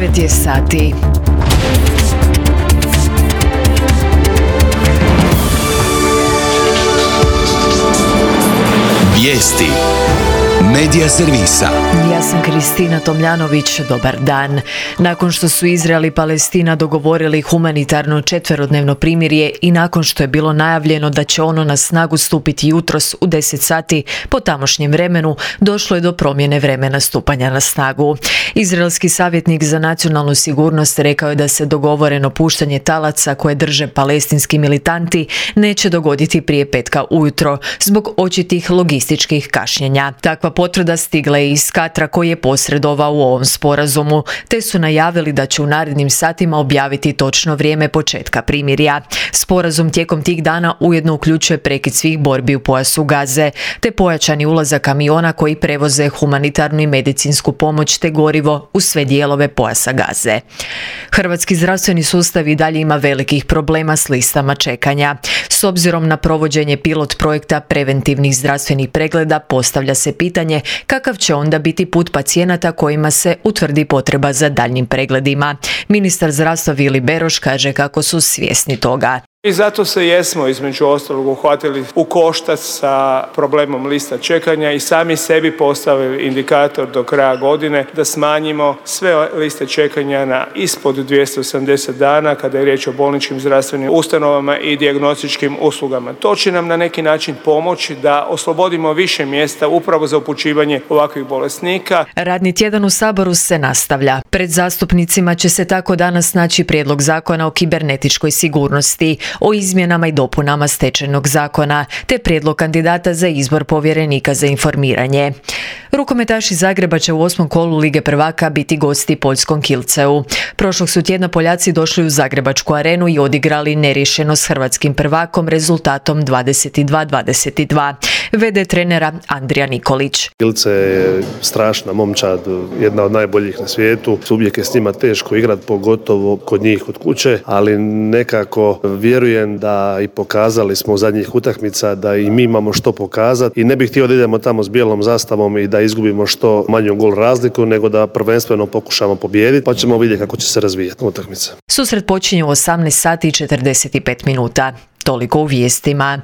9 je sati. Vijesti Medija servisa. Ja sam Kristina Tomljanović, dobar dan. Nakon što su Izrael i Palestina dogovorili humanitarno 4-dnevno primirje i nakon što je bilo najavljeno da će ono na snagu stupiti jutros u 10 sati po tamošnjem vremenu, došlo je do promjene vremena stupanja na snagu. Izraelski savjetnik za nacionalnu sigurnost rekao je da se dogovoreno puštanje talaca koje drže palestinski militanti neće dogoditi prije petka ujutro zbog očitih logističkih kašnjenja. Takva potvrda stigla je iz Katra koji je posredovao u ovom sporazumu, te su najavili da će u narednim satima objaviti točno vrijeme početka primirja. Sporazum tijekom tih dana ujedno uključuje prekid svih borbi u pojasu Gaze, te pojačani ulazak kamiona koji prevoze humanitarnu i medicinsku pomoć te gorivo u sve dijelove pojasa Gaze. Hrvatski zdravstveni sustav i dalje ima velikih problema s listama čekanja. S obzirom na provođenje pilot projekta preventivnih zdravstvenih pregleda, postavlja se pitanje kakav će onda biti put pacijenata kojima se utvrdi potreba za daljnjim pregledima. Ministar zdravstva Vili Beroš kaže kako su svjesni toga. I zato se jesmo između ostalog uhvatili u koštac sa problemom lista čekanja i sami sebi postavili indikator do kraja godine da smanjimo sve liste čekanja na ispod 280 dana kada je riječ o bolničkim zdravstvenim ustanovama i dijagnostičkim uslugama. To će nam na neki način pomoći da oslobodimo više mjesta upravo za upućivanje ovakvih bolesnika. Radni tjedan u Saboru se nastavlja. Pred zastupnicima će se tako danas naći prijedlog zakona o kibernetičkoj sigurnosti, o izmjenama i dopunama Stečajnog zakona, te prijedlog kandidata za izbor povjerenika za informiranje. Rukometaši Zagreba će u 8. kolu Lige prvaka biti gosti poljskom Kielceu. Prošlog su tjedna Poljaci došli u Zagrebačku arenu i odigrali neriješeno s hrvatskim prvakom rezultatom 22-22. VD trenera Andrija Nikolić. Kielce je strašna momčad, jedna od najboljih na svijetu. Uvijek je s njima teško igrati, pogotovo kod njih kod kuće, ali nekako vjerujem da i pokazali smo u zadnjih utakmica da i mi imamo što pokazati i ne bih htio da idemo tamo s bijelom zastavom i da izgubimo što manju gol razliku, nego da prvenstveno pokušamo pobijediti, pa ćemo vidjeti kako će se razvijati utakmica. Susret počinje u 18 sati i 45 minuta. Toliko u vijestima.